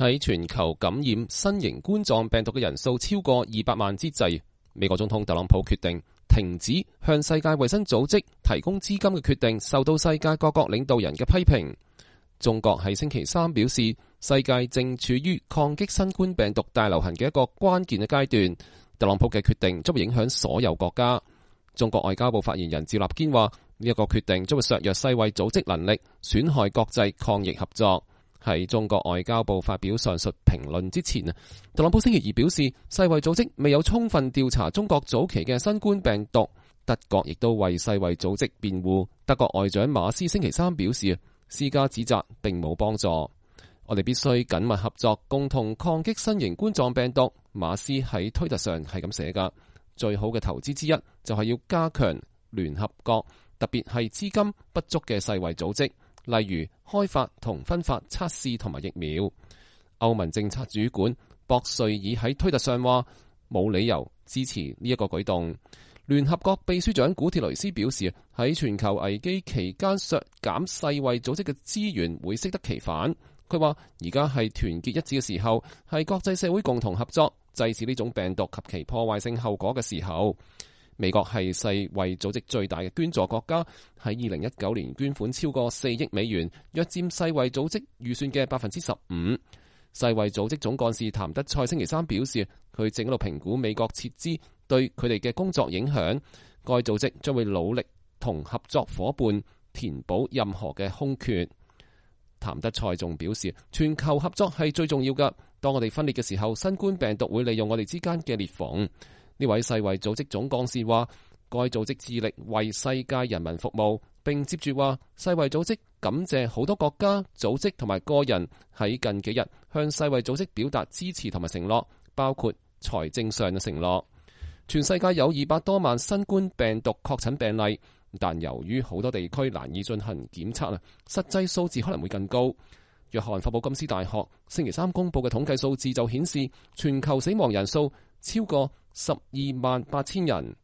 喺全球感染新型冠狀病毒嘅人數超過200萬之際，美國總統特朗普決定停止向世界衛生組織提供資金嘅決定，受到世界各國領導人嘅批評。中國喺星期三表示，世界正處於抗擊新冠病毒大流行嘅一個關鍵嘅階段。特朗普嘅決定將會影響所有國家。中國外交部發言人趙立堅話：呢一個決定將會削弱世衛組織能力，損害國際抗疫合作。喺中國外交部發表上述評論之前，特朗普星期二表示，世衛組織未有充分調查中國早期嘅新冠病毒。德國亦都為世衛組織辯護。德國外長馬斯星期三表示，施加指責並冇幫助。我哋必須緊密合作，共同抗擊新型冠狀病毒。馬斯喺推特上係咁寫噶。最好嘅投資之一就係要加強聯合國，特別係資金不足嘅世衛組織，例如開發同分發測試同埋疫苗。歐盟政策主管博瑞爾喺推特上話，冇理由支持呢一個舉動。聯合國秘書長古鐵雷斯表示，喺全球危機期間削減世衛組織嘅資源會適得其反。佢話而家係團結一致嘅時候，係國際社會共同合作制止呢種病毒及其破壞性後果嘅時候。美國係世衛組織最大嘅捐助國家，喺2019年捐款超過4億美元，約佔世衛組織預算嘅15%。世衛組織總幹事譚德塞星期三表示，佢正喺度評估美國撤資對佢哋嘅工作影響。該組織將會努力同合作夥伴填補任何嘅空缺。譚德塞仲表示，全球合作係最重要㗎。當我哋分裂嘅時候，新冠病毒會利用我哋之間嘅裂縫。呢位世衛組織總幹事話，該組織致力為世界人民服務，並接住話，世衛組織感謝好多國家、組織同埋個人喺近幾日向世衛組織表達支持同埋承諾，包括財政上嘅承諾。全世界有200多萬新冠病毒確診病例，但由於好多地區難以進行檢測，實際數字可能會更高。約翰霍普金斯大學星期三公布嘅統計數字就顯示，全球死亡人數超過128000人。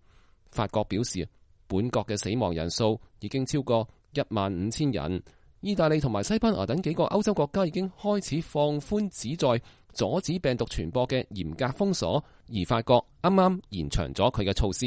法國表示，本國嘅死亡人數已經超過15000人。意大利同埋西班牙等幾個歐洲國家已經開始放寬旨在阻止病毒傳播嘅嚴格封鎖，而法國啱啱延長咗佢嘅措施。